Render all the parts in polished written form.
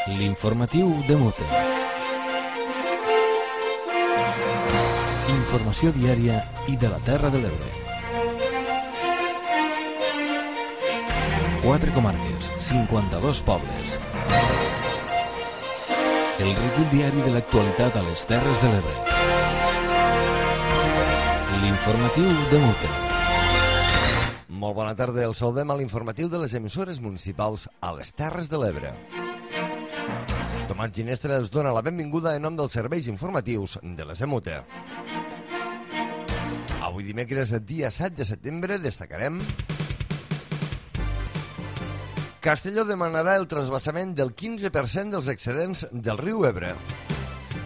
L'informatiu de Mute. Informació diària i de la Terra de l'Ebre. 4 comarques, 52 pobles. El recull diari de l'actualitat a les Terres de l'Ebre. L'informatiu de Mute. Molt bona tarda, el saludem a l'informatiu de les emissores municipals a les Terres de l'Ebre. Tomàs Ginestra els dona la benvinguda en nom dels serveis informatius de la Semute. Avui dimecres, dia 7 de setembre, destacarem: Castelló demanarà el trasbassament del 15% dels excedents del riu Ebre.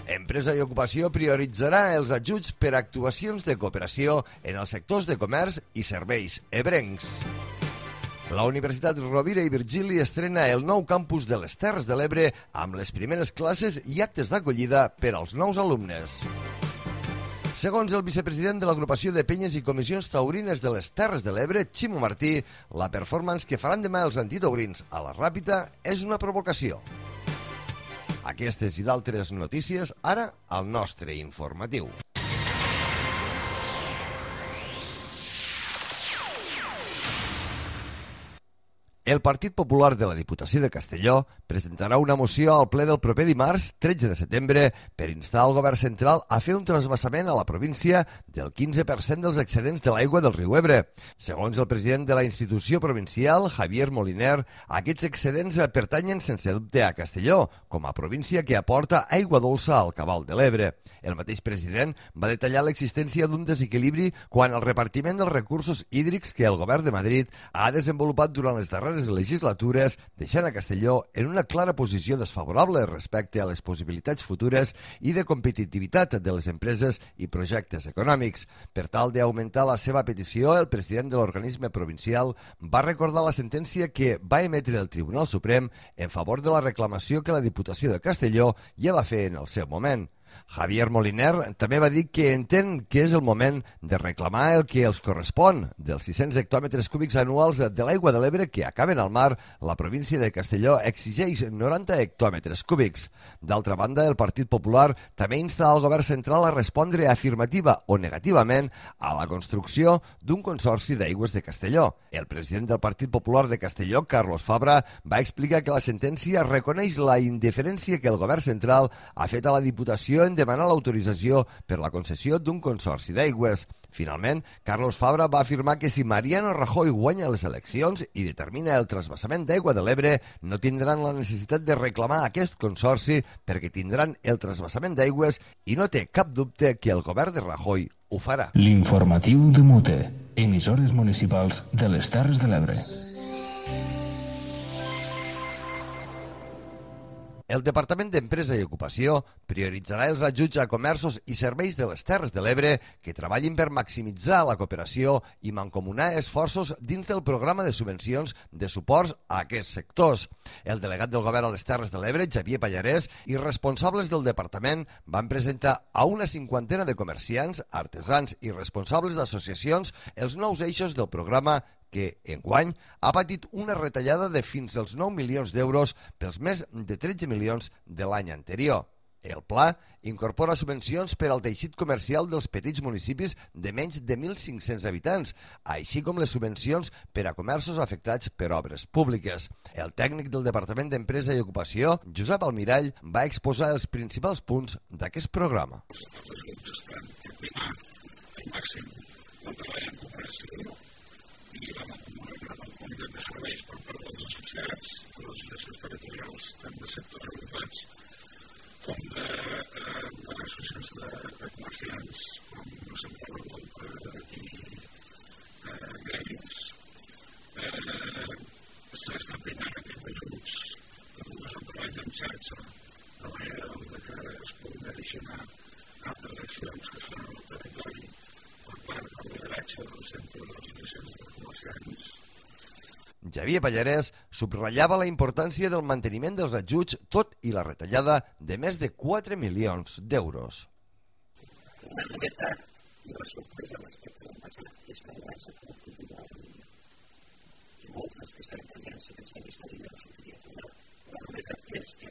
Empresa i Ocupació prioritzarà els ajuts per a actuacions de cooperació en els sectors de comerç i serveis ebrencs. La Universitat Rovira i Virgili estrena el nou campus de les Terres de l'Ebre amb les primeres classes i actes d'acollida per als nous alumnes. Segons el vicepresident de l'Agrupació de Penyes i Comissions Taurines de les Terres de l'Ebre, Ximo Martí, la performance que faran demà els antitaurins a la Ràpita és una provocació. Aquestes i d'altres notícies, ara al nostre informatiu. El Partit Popular de la Diputació de Castelló presentarà una moció al ple del proper dimarts, 13 de setembre, per instar el govern central a fer un trasbassament a la província del 15% dels excedents de l'aigua del riu Ebre. Segons el president de la institució provincial, Javier Moliner, aquests excedents pertanyen sense dubte a Castelló, com a província que aporta aigua dolça al cabal de l'Ebre. El mateix president va detallar l'existència d'un desequilibri quant al repartiment dels recursos hídrics que el govern de Madrid ha desenvolupat durant les darreres legislatures, deixant a Castelló en una clara posició desfavorable respecte a les possibilitats futures i de competitivitat de les empreses i projectes econòmics. Per tal d'augmentar la seva petició, el president de l'organisme provincial va recordar la sentència que va emetre el Tribunal Suprem en favor de la reclamació que la Diputació de Castelló ja va fer en el seu moment. Javier Moliner també va dir que entén que és el moment de reclamar el que els correspon dels 600 hectòmetres cúbics anuals de l'aigua de l'Ebre que acaben al mar. La província de Castelló exigeix 90 hectòmetres cúbics. D'altra banda, el Partit Popular també insta al govern central a respondre afirmativa o negativament a la construcció d'un consorci d'aigües de Castelló. El president del Partit Popular de Castelló, Carlos Fabra, va explicar que la sentència reconeix la indiferència que el govern central ha fet a la Diputació en demanar l'autorització per la concessió d'un consorci d'aigües. Finalment, Carlos Fabra va afirmar que si Mariano Rajoy guanya les eleccions i determina el trasbassament d'aigua de l'Ebre, no tindran la necessitat de reclamar aquest consorci perquè tindran el trasbassament d'aigües i no té cap dubte que el govern de Rajoy ho farà. L'informatiu de Mute, emissores municipals de les Terres de l'Ebre. El Departament d'Empresa i Ocupació prioritzarà els ajuts a comerços i serveis de les Terres de l'Ebre que treballin per maximitzar la cooperació i mancomunar esforços dins del programa de subvencions de suports a aquests sectors. El delegat del govern a les Terres de l'Ebre, Xavier Pallarès, i responsables del departament van presentar a una 50ena de comerciants, artesans i responsables d'associacions els nous eixos del programa que, enguany, ha patit una retallada de fins als 9 milions d'euros pels més de 13 milions de l'any anterior. El pla incorpora subvencions per al teixit comercial dels petits municipis de menys de 1.500 habitants, així com les subvencions per a comerços afectats per obres públiques. El tècnic del Departament d'Empresa i Ocupació, Josep Almirall, va exposar els principals punts d'aquest programa. Els ajuts estan per primar al màxim el treball en cooperació i la comunitat de serveis per part dels associats, de les associacions territorials, tant de sectors agrupats com d'associacions de comerciants, com no se'n parla molt i gremis. S'estan primant aquests ajuts és un treball en xarxa, de manera que es puguin addicionar altres accions que es fan al territori per part del lideratge del centre de les associacions de comerciants. Xavier Pallarès subratllava la importància del manteniment dels ajuts, tot i la retallada de més de 4 milions d'euros. Una novetat i la sorpresa a les que podem passar és que la productivitat i moltes que estan presents en aquests anys de la novetat és que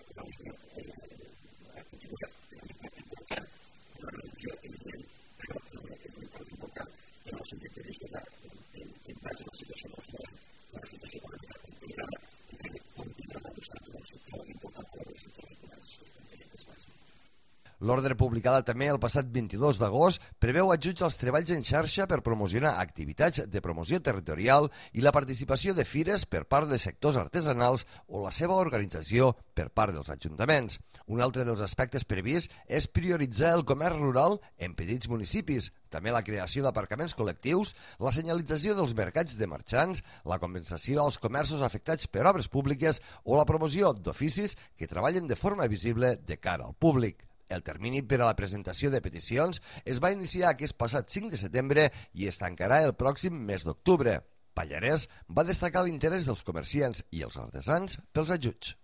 L'ordre publicada també el passat 22 d'agost preveu ajuts als treballs en xarxa per promocionar activitats de promoció territorial i la participació de fires per part de sectors artesanals o la seva organització per part dels ajuntaments. Un altre dels aspectes prevists és prioritzar el comerç rural en petits municipis, també la creació d'aparcaments col·lectius, la senyalització dels mercats de marxants, la compensació als comerços afectats per obres públiques o la promoció d'oficis que treballen de forma visible de cara al públic. El termini per a la presentació de peticions es va iniciar aquest passat 5 de setembre i es tancarà el pròxim mes d'octubre. Pallarès va destacar l'interès dels comerciants i els artesans pels ajuts.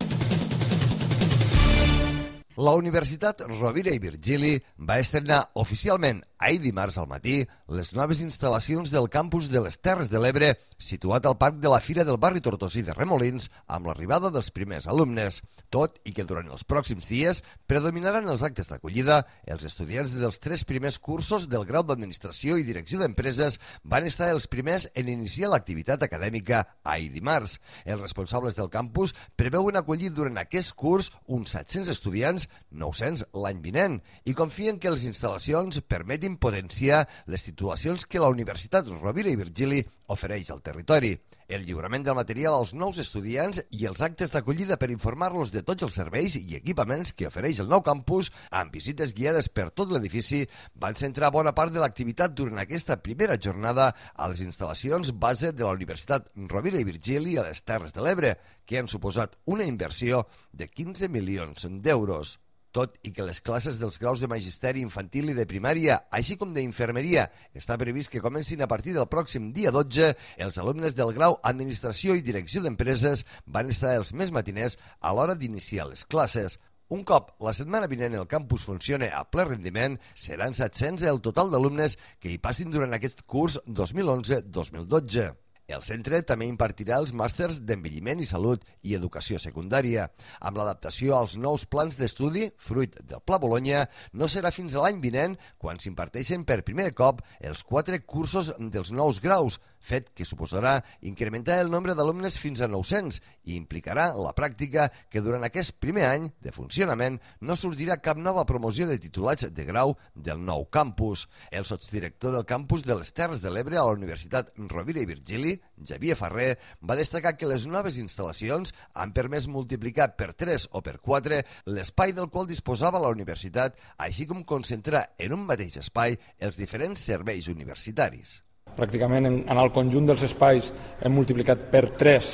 La Universitat Rovira i Virgili va estrenar oficialment ahir dimarts al matí les noves instal·lacions del campus de les Terres de l'Ebre, situat al parc de la Fira del barri Tortosí de Remolins, amb l'arribada dels primers alumnes, tot i que durant els pròxims dies predominaran els actes d'acollida. Els estudiants dels 3 primers cursos del grau d'Administració i Direcció d'Empreses van estar els primers en iniciar l'activitat acadèmica ahir dimarts. Els responsables del campus preveuen acollir durant aquest curs uns 700 estudiants, 900 l'any vinent, i confien que les instal·lacions permetin potenciar les titulacions que la Universitat Rovira i Virgili ofereix al territori. El lliurament del material als nous estudiants i els actes d'acollida per informar-los de tots els serveis i equipaments que ofereix el nou campus, amb visites guiades per tot l'edifici, van centrar bona part de l'activitat durant aquesta primera jornada a les instal·lacions base de la Universitat Rovira i Virgili a les Terres de l'Ebre, que han suposat una inversió de 15 milions d'euros. Tot i que les classes dels graus de magisteri infantil i de primària, així com d'infermeria, està previst que comencin a partir del pròxim dia 12, els alumnes del grau Administració i Direcció d'Empreses van estar els més matiners a l'hora d'iniciar les classes. Un cop la setmana vinent el campus funcione a ple rendiment, seran 700 el total d'alumnes que hi passin durant aquest curs 2011-2012. El centre també impartirà els màsters d'envelliment i salut i educació secundària. Amb l'adaptació als nous plans d'estudi, fruit del Pla Bologna, no serà fins a l'any vinent quan s'imparteixen per primer cop els 4 cursos dels nous graus, fet que suposarà incrementar el nombre d'alumnes fins a 900 i implicarà la pràctica que durant aquest primer any de funcionament no sortirà cap nova promoció de titulats de grau del nou campus. El sotsdirector del campus de les Terres de l'Ebre a la Universitat Rovira i Virgili, Xavier Ferrer, va destacar que les noves instal·lacions han permès multiplicar per 3 o per 4 l'espai del qual disposava la universitat, així com concentrar en un mateix espai els diferents serveis universitaris. Pràcticament en el conjunt dels espais hem multiplicat per 3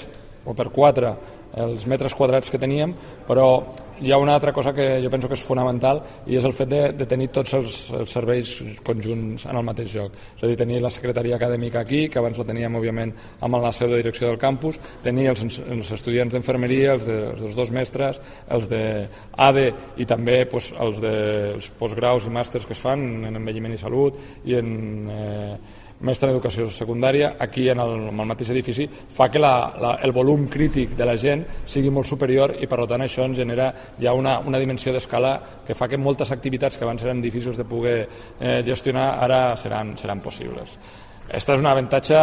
o per 4 els metres quadrats que teníem, però hi ha una altra cosa que jo penso que és fonamental i és el fet de tenir tots els serveis conjunts en el mateix lloc. És a dir, tenir la secretaria acadèmica aquí, que abans la teníem, òbviament, amb la seu de direcció del campus, tenir els estudiants d'enfermeria, els dels 2 mestres, els d'ADE i també els postgraus i màsters que es fan en envelliment i salut i en mestre en educació secundària, aquí en el mateix edifici, fa que el volum crític de la gent sigui molt superior i per tant això ens genera ja una dimensió d'escala que fa que moltes activitats que abans eren difícils de poder gestionar ara seran possibles. Aquesta és un avantatge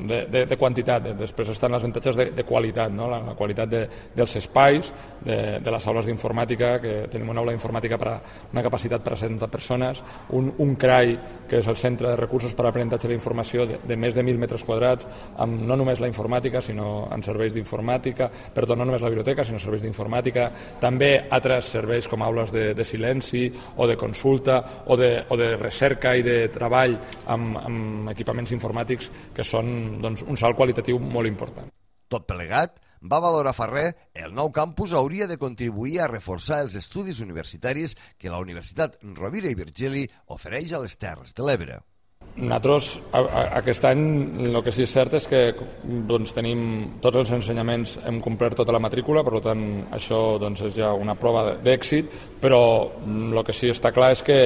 de quantitat, després estan els avantatges de qualitat, no? La qualitat dels espais, de les aules d'informàtica, que tenim una aula d'informàtica per a una capacitat per a 70 persones, un CRAI, que és el Centre de Recursos per a l'Aprenentatge de la Informació, de més de 1.000 metres quadrats, amb no només la informàtica, sinó en serveis d'informàtica, perdó, no només la biblioteca, sinó serveis d'informàtica, també altres serveis com aules de silenci o de consulta o de recerca i de treball amb equipaments informàtics que són un salt qualitatiu molt important. Tot plegat, va valorar Ferrer, el nou campus hauria de contribuir a reforçar els estudis universitaris que la Universitat Rovira i Virgili ofereix a les Terres de l'Ebre. Nosaltres, aquest any, el que sí és cert és que tenim tots els ensenyaments, hem complert tota la matrícula, per tant, això és ja una prova d'èxit, però el que sí està clar és que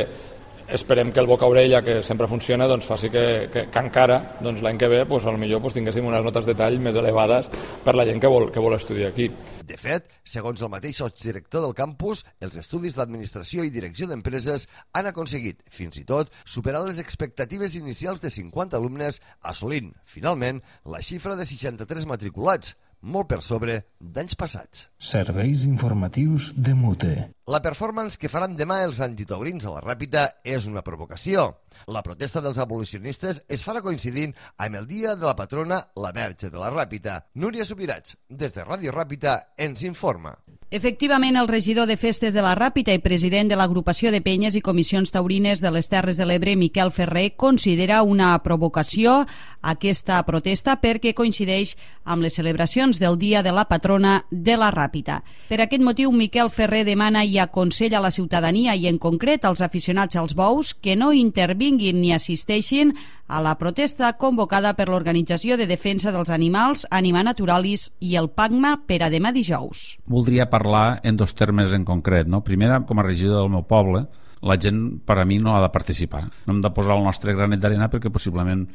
esperem que el boca-orella, que sempre funciona, faci que encara l'any que ve potser tinguéssim unes notes de tall més elevades per la gent que vol estudiar aquí. De fet, segons el mateix sotsdirector del campus, els estudis d'Administració i Direcció d'Empreses han aconseguit, fins i tot, superar les expectatives inicials de 50 alumnes, assolint, finalment, la xifra de 63 matriculats, molt per sobre d'anys passats. Serveis informatius de Mute. La performance que faran demà els antitaurins a la Ràpita és una provocació. La protesta dels abolicionistes es farà coincidint amb el dia de la patrona, la Verge de la Ràpita. Núria Subirats, des de Ràdio Ràpita, ens informa. Efectivament, el regidor de Festes de la Ràpita i president de l'Agrupació de Penyes i Comissions Taurines de les Terres de l'Ebre, Miquel Ferrer, considera una provocació aquesta protesta perquè coincideix amb les celebracions del Dia de la Patrona de la Ràpita. Per aquest motiu, Miquel Ferrer demana i aconsella a la ciutadania i en concret als aficionats als bous que no intervinguin ni assisteixin a la protesta convocada per l'Organització de Defensa dels Animals, Anima Naturalis i el PACMA per a demà dijous. Voldria parlar en dos termes en concret. No? Primera, com a regidor del meu poble, la gent per a mi no ha de participar. No hem de posar el nostre granet d'arena perquè possiblement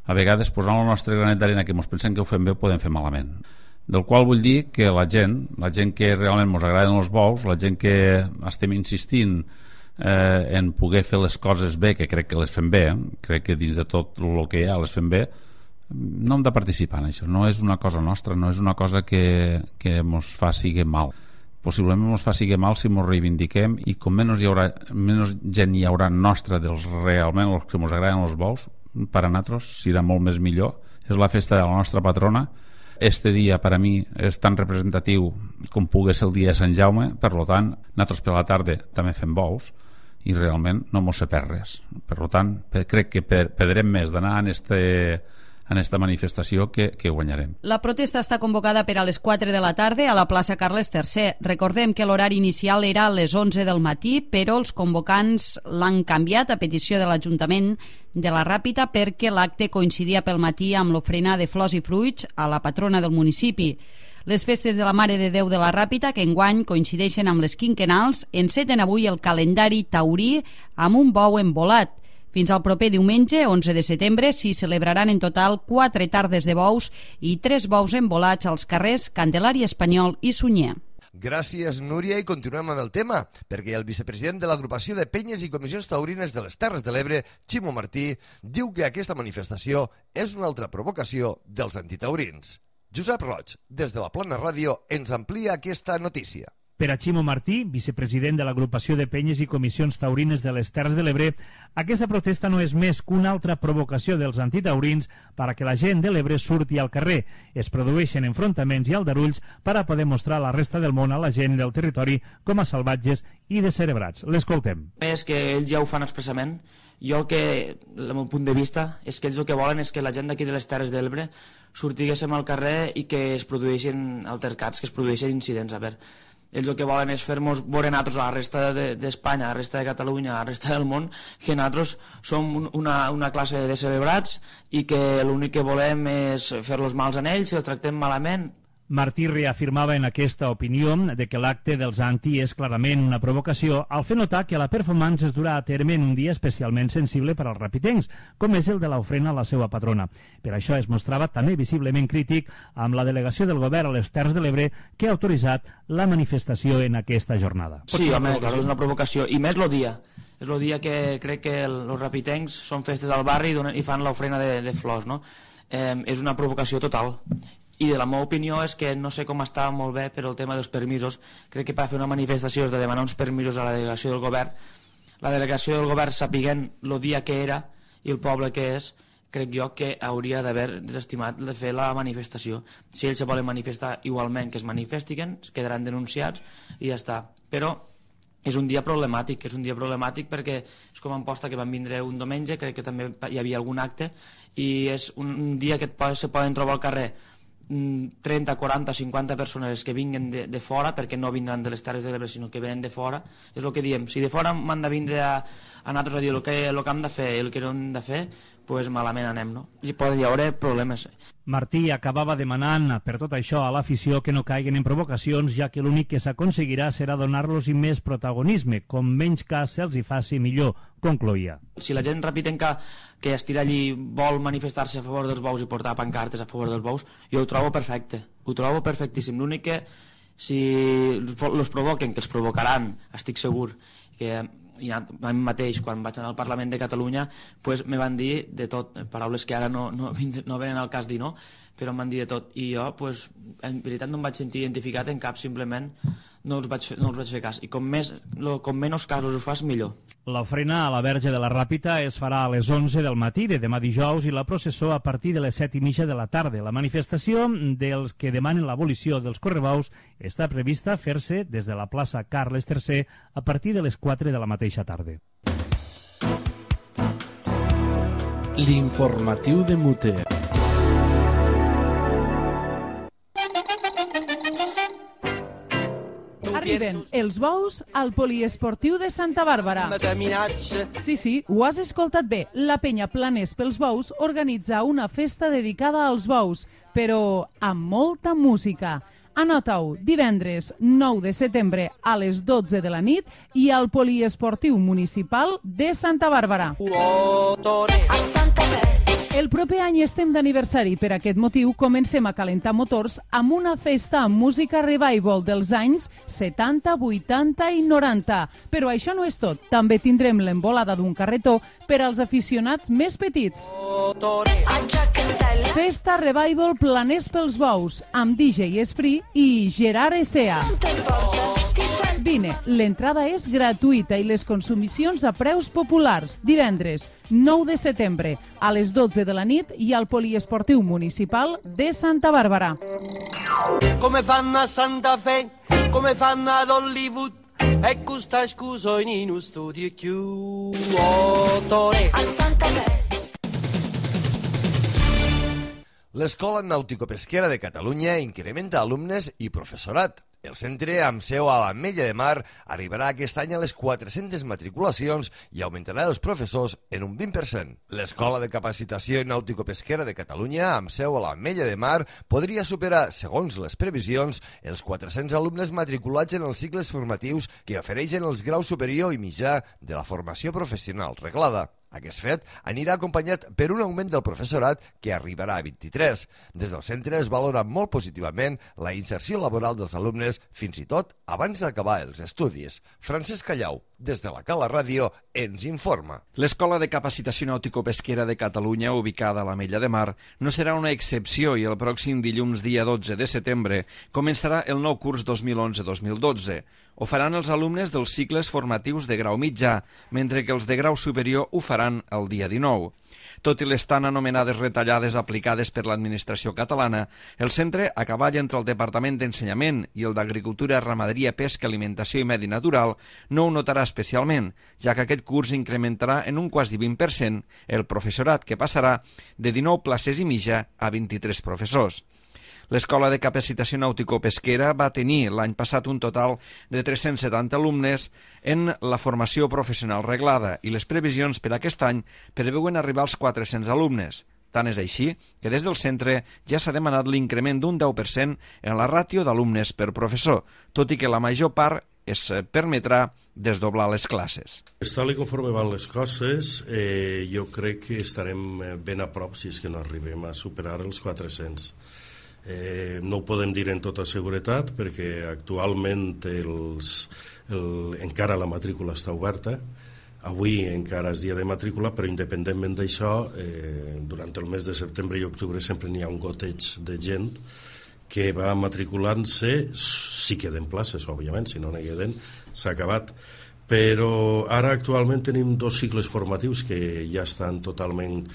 a vegades posant el nostre granet d'arena que ens pensem que ho fem bé ho podem fer malament. Del qual vull dir que la gent que realment ens agraden els bous, la gent que estem insistint en poder fer les coses bé, que crec que les fem bé, crec que dins de tot el que hi ha les fem bé, no hem de participar en això. No és una cosa nostra, no és una cosa que ens fa sigui mal. Possiblement ens fa sigui mal si ens reivindiquem i com menys gent hi haurà nostra dels realment els que ens agraden els bous, per a nosaltres serà molt més millor. És la festa de la nostra patrona. Este dia per a mi és tan representatiu com pugui ser el dia de Sant Jaume, per tant, nosaltres per la tarda també fem bous i realment no mos se perd res. Per tant, crec que perdrem més d'anar en esta manifestació que guanyarem. La protesta està convocada per a les 4 de la tarda a la plaça Carles III. Recordem que l'horari inicial era a les 11 del matí, però els convocants l'han canviat a petició de l'Ajuntament de la Ràpita perquè l'acte coincidia pel matí amb l'ofrena de flors i fruits a la patrona del municipi. Les festes de la Mare de Déu de la Ràpita, que enguany coincideixen amb les quinquennals, enceten avui el calendari taurí amb un bou embolat. Fins al proper diumenge, 11 de setembre, s'hi celebraran en total 4 tardes de bous i 3 bous embolats als carrers Candelari Espanyol i Sunyer. Gràcies, Núria, i continuem amb el tema, perquè el vicepresident de l'Agrupació de Penyes i Comissions Taurines de les Terres de l'Ebre, Ximo Martí, diu que aquesta manifestació és una altra provocació dels antitaurins. Josep Roig, des de la Plana Ràdio, ens amplia aquesta notícia. Per a Ximo Martí, vicepresident de l'Agrupació de Penyes i Comissions Taurines de les Terres de l'Ebre, aquesta protesta no és més que una altra provocació dels antitaurins per a que la gent de l'Ebre surti al carrer. Es produeixen enfrontaments i aldarulls per a poder mostrar a la resta del món a la gent del territori com a salvatges i descerebrats. L'escoltem. És que ells ja ho fan expressament. Jo que, el meu punt de vista, és que ells el que volen és que la gent d'aquí de les Terres de l'Ebre sortiguéssim al carrer i que es produeixin altercats, que es produeixin incidents. A veure, ells el que volen és fer-nos veure nosaltres a la resta d'Espanya, a la resta de Catalunya, a la resta del món, que nosaltres som una classe de celebrats i que l'únic que volem és fer-los mals a ells, si els tractem malament. Martí reafirmava en aquesta opinió de que l'acte dels anti és clarament una provocació al fer notar que la performance es durà a terme en un dia especialment sensible per als rapitencs, com és el de l'ofrena a la seva patrona. Per això es mostrava també visiblement crític amb la delegació del govern a les Terres de l'Ebre que ha autoritzat la manifestació en aquesta jornada. Sí, home, clar, és una provocació, i més el dia. És el dia que crec que els rapitencs són festes al barri i fan l'ofrena de flors, no? És una provocació total. I de la meva opinió és que no sé com està molt bé per el tema dels permisos. Crec que per fer una manifestació has de demanar uns permisos a la delegació del govern. La delegació del govern, sapiguent el dia que era i el poble que és, crec jo que hauria d'haver desestimat de fer la manifestació. Si ells se volen manifestar igualment, que es manifestin, quedaran denunciats i ja està. Però és un dia problemàtic perquè és com en posta que van vindre un diumenge, crec que també hi havia algun acte, i és un dia que se poden trobar al carrer 30, 40, 50 persones que vinguen de fora, perquè no vindran de les Terres de l'Ebre, sinó que venen de fora. És el que diem, si de fora m'han de vindre a nosaltres a dir el que hem de fer i el que no hem de fer, doncs malament anem, no? I poden haver problemes. Martí acabava demanant per tot això a l'afició que no caiguen en provocacions, ja que l'únic que s'aconseguirà serà donar-los més protagonisme, com menys cas se'ls hi faci millor, concloïa. Si la gent repitenca que estira allí vol manifestar-se a favor dels bous i portar pancartes a favor dels bous, jo ho trobo perfecte, ho trobo perfectíssim. L'únic que si els provoquen, que els provocaran, estic segur, que a mi mateix, quan vaig anar al Parlament de Catalunya, pues, me van dir de tot, paraules que ara no venen al cas dir, no? Però em van dir de tot, i jo, pues, en veritat no em vaig sentir identificat en cap, simplement no els vaig fer cas, i com menys casos ho fas, millor. L'ofrena a la Verge de la Ràpita es farà a les 11 del matí de demà dijous i la processó a partir de les 7:30 de la tarda. La manifestació dels que demanen l'abolició dels correbous està prevista fer-se des de la plaça Carles III a partir de les 4 de la mateixa tarda. L'informatiu de Mute. Arriben els bous al poliesportiu de Santa Bàrbara. Sí, ho has escoltat bé. La penya Planers pels Bous organitza una festa dedicada als bous, però amb molta música. Anota-ho, divendres 9 de setembre a les 12 de la nit i al poliesportiu municipal de Santa Bàrbara. El proper any estem d'aniversari. Per aquest motiu comencem a calentar motors amb una festa amb música revival dels anys 70, 80 i 90. Però això no és tot. També tindrem l'embolada d'un carretó per als aficionats més petits. Festa Revival Planers pels Bous amb DJ Esprit i Gerard Essea. Vine, l'entrada és gratuïta i les consumicions a preus populars. Divendres 9 de setembre a les 12 de la nit i al poliesportiu municipal de Santa Bàrbara. Come fanno a Santa Fe, come fanno ad Hollywood, e questa scusa in uno studio chiuso. A Santa Fe. L'Escola Nàutico-Pesquera de Catalunya incrementa alumnes i professorat. El centre, amb seu a l'Ametlla de Mar, arribarà aquest any a les 400 matriculacions i augmentarà els professors en un 20%. L'Escola de Capacitació Nàutico-Pesquera de Catalunya, amb seu a l'Ametlla de Mar, podria superar, segons les previsions, els 400 alumnes matriculats en els cicles formatius que ofereixen els graus superior i mitjà de la formació professional reglada. Aquest fet anirà acompanyat per un augment del professorat que arribarà a 23. Des del centre es valora molt positivament la inserció laboral dels alumnes, fins i tot abans d'acabar els estudis. Francesc Callau, des de la Cala Ràdio, ens informa. L'Escola de Capacitació Nàutico-Pesquera de Catalunya, ubicada a l'Ametlla de Mar, no serà una excepció i el pròxim dilluns, dia 12 de setembre, començarà el nou curs 2011-2012. Ho faran els alumnes dels cicles formatius de grau mitjà, mentre que els de grau superior ho faran el dia 19. Tot i les tan anomenades retallades aplicades per l'administració catalana, el centre, a cavall entre el Departament d'Ensenyament i el d'Agricultura, Ramaderia, Pesca, Alimentació i Medi Natural, no ho notarà especialment, ja que aquest curs incrementarà en un quasi 20% el professorat, que passarà de 19 places i mitja a 23 professors. L'Escola de Capacitació Nàutico-Pesquera va tenir l'any passat un total de 370 alumnes en la formació professional reglada i les previsions per aquest any preveuen arribar als 400 alumnes. Tant és així que des del centre ja s'ha demanat l'increment d'un 10% en la ràtio d'alumnes per professor, tot i que la major part es permetrà desdoblar les classes. Tal conforme van les coses, jo crec que estarem ben a prop, si és que no arribem a superar els 400. No ho podem dir en tota seguretat perquè actualment encara la matrícula està oberta. Avui encara és dia de matrícula, però independentment d'això, durant el mes de setembre i octubre sempre n'hi ha un goteig de gent que va matriculant-se. Si queden places, òbviament, si no n'hi queden, s'ha acabat. Però ara actualment tenim 2 cicles formatius que ja estan totalment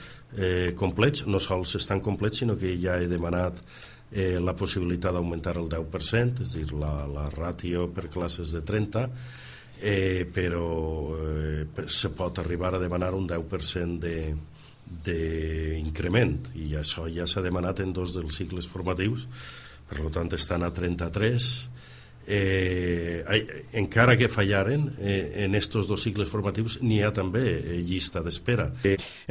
complets. No sols estan complets, sinó que ja he demanat la possibilitat d'augmentar el 10%, és a dir, la ràtio per classes de 30, però se pot arribar a demanar un 10% d'increment, i això ja s'ha demanat en 2 dels cicles formatius, per tant estan a 33. Encara que fallaren en estos 2 cicles formatius n'hi ha també llista d'espera.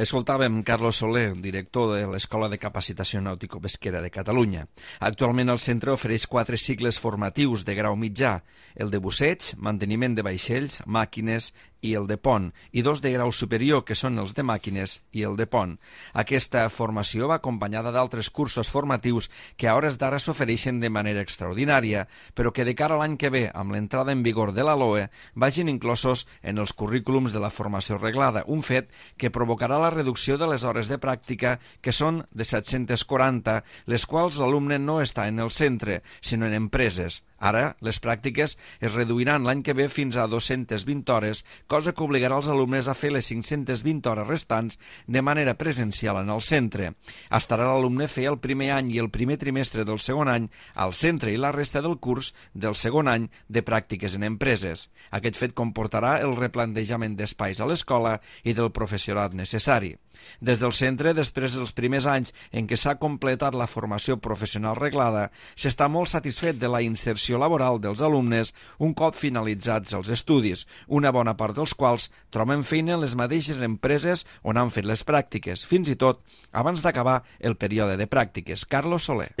Escoltàvem Carlos Soler, director de l'Escola de Capacitació Nàutico-Pesquera de Catalunya. Actualment el centre ofereix 4 cicles formatius de grau mitjà: el de busseig, manteniment de vaixells, màquines, i el de pont, i 2 de grau superior, que són els de màquines i el de pont. Aquesta formació va acompanyada d'altres cursos formatius que a hores d'ara s'ofereixen de manera extraordinària, però que de cara a l'any que ve, amb l'entrada en vigor de la LOE, vagin inclosos en els currículums de la formació reglada, un fet que provocarà la reducció de les hores de pràctica, que són de 740, les quals l'alumne no està en el centre, sinó en empreses. Ara, les pràctiques es reduiran l'any que ve fins a 220 hores, cosa que obligarà els alumnes a fer les 520 hores restants de manera presencial en el centre. Estarà l'alumne fer el primer any i el primer trimestre del segon any al centre i la resta del curs del segon any de pràctiques en empreses. Aquest fet comportarà el replantejament d'espais a l'escola i del professorat necessari. Des del centre, després dels primers anys en què s'ha completat la formació professional reglada, s'està molt satisfet de la inserció laboral dels alumnes un cop finalitzats els estudis, una bona part dels quals troben feina en les mateixes empreses on han fet les pràctiques, fins i tot abans d'acabar el període de pràctiques. Carlos Soler.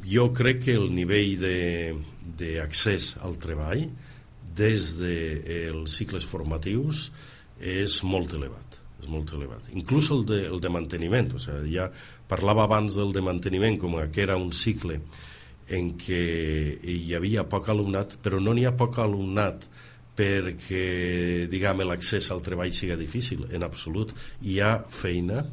Jo crec que el nivell d'accés al treball des dels cicles formatius és molt elevat. Inclús el de manteniment, o sigui, ja parlava abans del de manteniment com que era un cicle en què hi havia poc alumnat, però no n'hi ha poc alumnat perquè, diguem, l'accés al treball sigui difícil, en absolut. Hi ha feina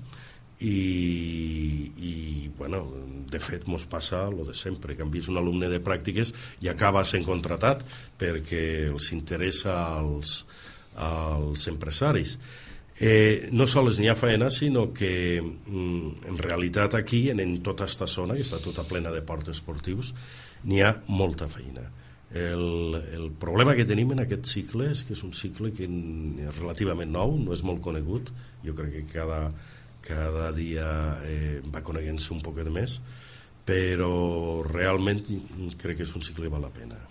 i bueno, de fet mos passa el de sempre, que han vist un alumne de pràctiques i acaba sent contratat perquè els interessa als empresaris. No sols n'hi ha feina, sinó que en realitat aquí, en tota aquesta zona, que està tota plena de ports esportius, n'hi ha molta feina. El problema que tenim en aquest cicle és que és un cicle que és relativament nou, no és molt conegut, jo crec que cada dia va coneguent-se un poquet més, però realment crec que és un cicle que val la pena.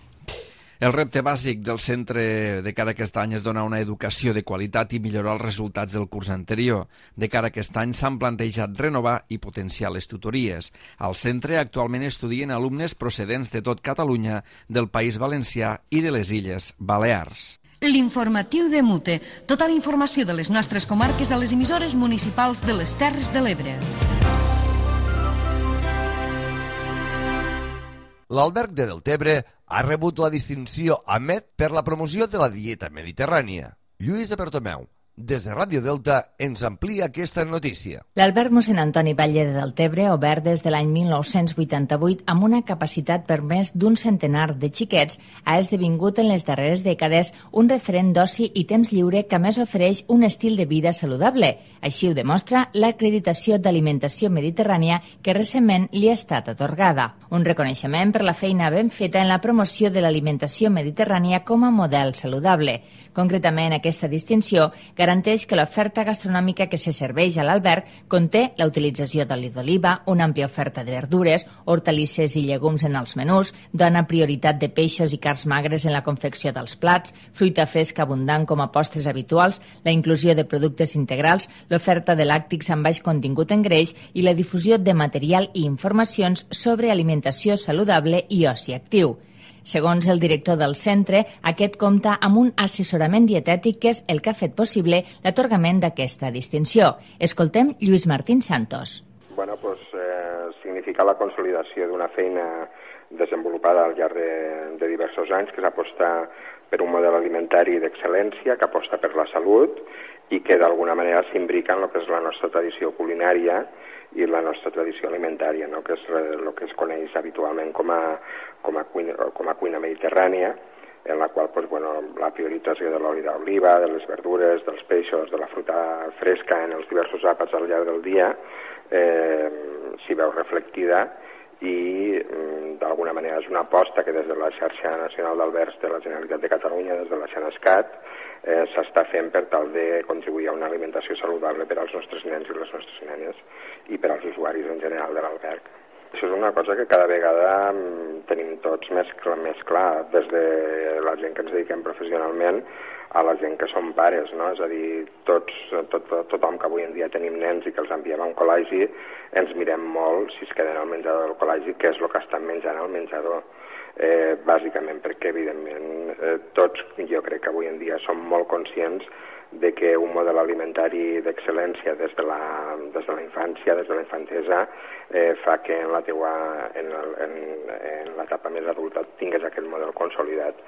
El repte bàsic del centre de cara a aquest any és donar una educació de qualitat i millorar els resultats del curs anterior. De cara a aquest any s'han plantejat renovar i potenciar les tutories. Al centre actualment estudien alumnes procedents de tot Catalunya, del País Valencià i de les Illes Balears. L'informatiu de Mute. Tota la informació de les nostres comarques a les emissores municipals de les Terres de l'Ebre. L'Alberg de Deltebre ha rebut la distinció AMET per la promoció de la dieta mediterrània. Lluís Bertomeu, des de Ràdio Delta, ens amplia aquesta notícia. L'Alberg Mossèn Antoni Batlle de Deltebre, obert des de l'any 1988 amb una capacitat per més d'un centenar de xiquets, ha esdevingut en les darreres dècades un referent d'oci i temps lliure que a més ofereix un estil de vida saludable. Així ho demostra l'acreditació d'alimentació mediterrània que recentment li ha estat atorgada. Un reconeixement per la feina ben feta en la promoció de l'alimentació mediterrània com a model saludable. Concretament, aquesta distinció garanteix que l'oferta gastronòmica que se serveix a l'alberg conté la utilització d'oli d'oliva, una àmplia oferta de verdures, hortalisses i llegums en els menús, dona prioritat de peixos i carns magres en la confecció dels plats, fruita fresca abundant com a postres habituals, la inclusió de productes integrals, l'oferta de làctics amb baix contingut en greix i la difusió de material i informacions sobre alimentació saludable i oci actiu. Segons el director del centre, aquest compta amb un assessorament dietètic que és el que ha fet possible l'atorgament d'aquesta distinció. Escoltem Lluís Martín Santos. Bueno, pues, significa la consolidació d'una feina desenvolupada al llarg de diversos anys, que és apostar per un model alimentari d'excel·lència, que aposta per la salut i que d'alguna manera s'imbrica en el que és la nostra tradició culinària i la nostra tradició alimentària, no? Que és el que es coneix habitualment com a cuina mediterrània, en la qual pues, bueno, la priorització de l'oli d'oliva, de les verdures, dels peixos, de la fruita fresca en els diversos àpats al llarg del dia s'hi veu reflectida i d'alguna manera és una aposta que des de la xarxa nacional d'albergs de la Generalitat de Catalunya, des de la Xenescat, s'està fent per tal de contribuir a una alimentació saludable per als nostres nens i les nostres nenes i per als usuaris en general de l'alberg. Això és una cosa que cada vegada tenim tots més clar, des de la gent que ens dediquem professionalment a la gent que som pares, no? És a dir, tothom que avui en dia tenim nens i que els enviem a un col·legi, ens mirem molt si es queden al menjador del col·legi què és el que estan menjant al menjador. bàsicament perquè, evidentment, tots, jo crec que avui en dia som molt conscients de que un model alimentari d'excel·lència des de la infància, des de la infantesa, fa que en l'etapa més adulta tingués aquest model consolidat.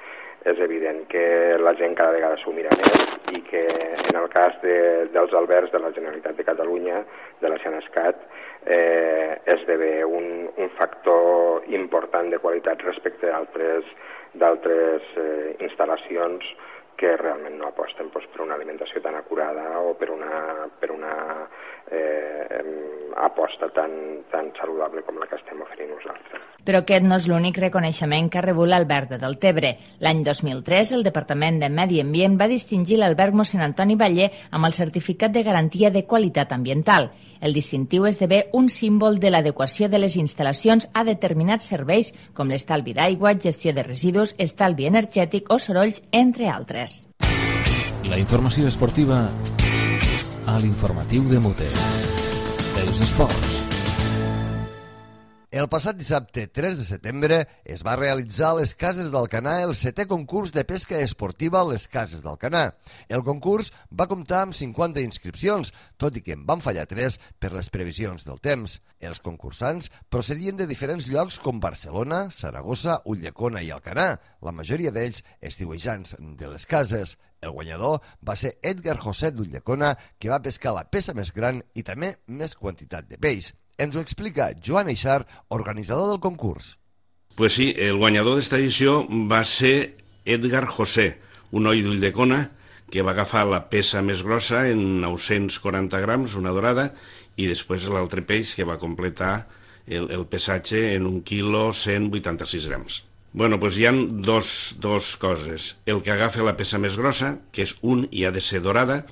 És evident que la gent cada vegada s'ho mira més i que en el cas dels albergs de la Generalitat de Catalunya, de la Xenescat, esdevé un factor important de qualitat respecte d'altres instal·lacions que realment no aposten per una alimentació tan acurada o per una aposta tan saludable com la que estem oferint nosaltres. Però aquest no és l'únic reconeixement que ha rebut l'alberg de Deltebre. L'any 2003, el Departament de Medi Ambient va distingir l'alberg Mossèn Antoni Batlle amb el certificat de garantia de qualitat ambiental. El distintiu esdevé un símbol de l'adequació de les instal·lacions a determinats serveis, com l'estalvi d'aigua, gestió de residus, estalvi energètic o sorolls, entre altres. La informació esportiva a l'informatiu de Mute. Els esports. El passat dissabte 3 de setembre es va realitzar a les Cases d'Alcanar el 7è concurs de pesca esportiva a les Cases d'Alcanar. El concurs va comptar amb 50 inscripcions, tot i que en van fallar 3 per les previsions del temps. Els concursants procedien de diferents llocs com Barcelona, Saragossa, Ulldecona i Alcanar, la majoria d'ells estiuejants de les cases. El guanyador va ser Edgar José d'Ulldecona, que va pescar la peça més gran i també més quantitat de peix. Ens ho explica Joan Eixar, organitzador del concurs. Pues sí, el guanyador d'esta edició va ser Edgar José, un noi d'Ulldecona que va agafar la peça més grossa en 940 grams, una dorada, i després l'altre peix que va completar el pesatge en 1 quilo 186 grams. Bueno, doncs hi ha dos coses. El que agafa la peça més grossa, que és i ha de ser dorada,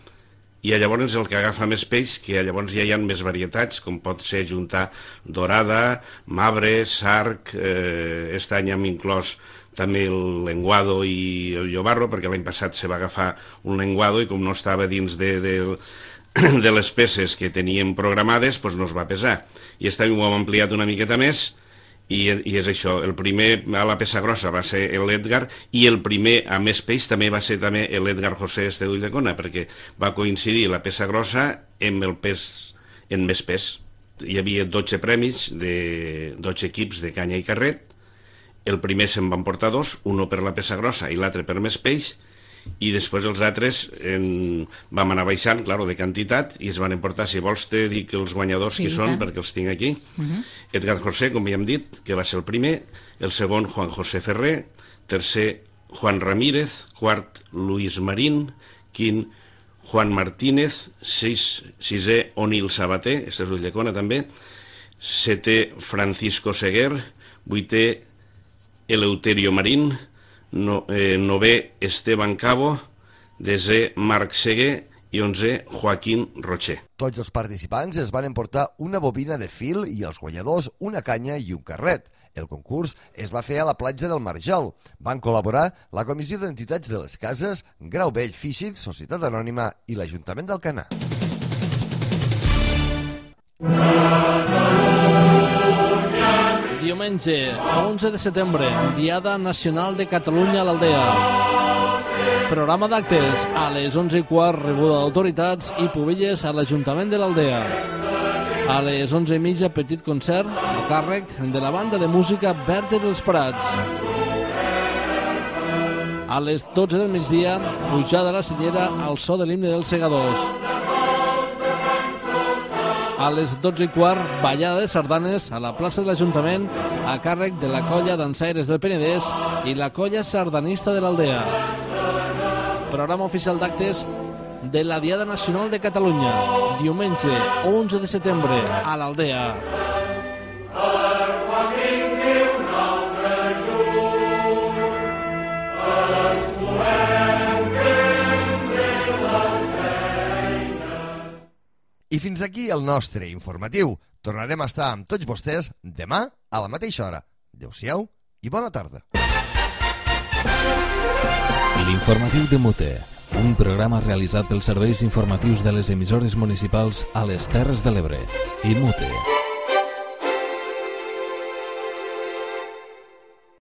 i llavors el que agafa més peix, que llavors ja hi ha més varietats, com pot ser juntar dorada, mabre, sarg, aquest any hem inclòs també el lenguado i el llobarro, perquè l'any passat se va agafar un lenguado i com no estava dins de les peces que teníem programades, doncs no es va pesar. I aquest any ho hem ampliat una miqueta més, i és això, el primer a la peça grossa va ser l'Edgar i el primer a més peix també va ser també l'Edgar José d'Ulldecona, perquè va coincidir la peça grossa amb el pes en més pes. Hi havia 12 premis de 12 equips de canya i carret. El primer se'n van portar 2, un per la peça grossa i l'altre per més peix, i després els altres vam anar baixant, clar, de quantitat, i es van emportar, si vols te dic els guanyadors qui són, perquè els tinc aquí. Edgar José, com ja hem dit, que va ser el primer, el segon Juan José Ferrer, tercer Juan Ramírez, quart Luis Marín, quint Juan Martínez, sisè Onil Sabater, este és Ulldecona també, setè Francisco Seguer, vuitè Eleuterio Marín, novè Esteban Cabo, desè Marc Seguer i 11è Joaquín Rocher. Tots els participants es van emportar una bobina de fil i els guanyadors una canya i un carret. El concurs es va fer a la platja del Marjal. Van col·laborar la Comissió d'Entitats de les Cases, Grau Vell Físic, Societat Anònima i l'Ajuntament d'Alcanar. Diumenge, 11 de setembre, Diada Nacional de Catalunya a l'Aldea. Programa d'actes a les 11:15, rebuda d'autoritats i pubelles a l'Ajuntament de l'Aldea. A les 11:30, petit concert a càrrec de la banda de música Verge dels Prats. A les 12 del migdia, pujada a la Cellera al so de l'himne dels Segadors. A les 12:15, ballada de sardanes a la plaça de l'Ajuntament a càrrec de la colla dansaires del Penedès i la colla sardanista de l'Aldea. Programa oficial d'actes de la Diada Nacional de Catalunya, diumenge 11 de setembre a l'Aldea. I fins aquí el nostre informatiu. Tornarem a estar amb tots vostès demà a la mateixa hora. Adéu-siau i bona tarda. L'informatiu de Mute, un programa realitzat pels serveis informatius de les emissores municipals a les Terres de l'Ebre i Mute.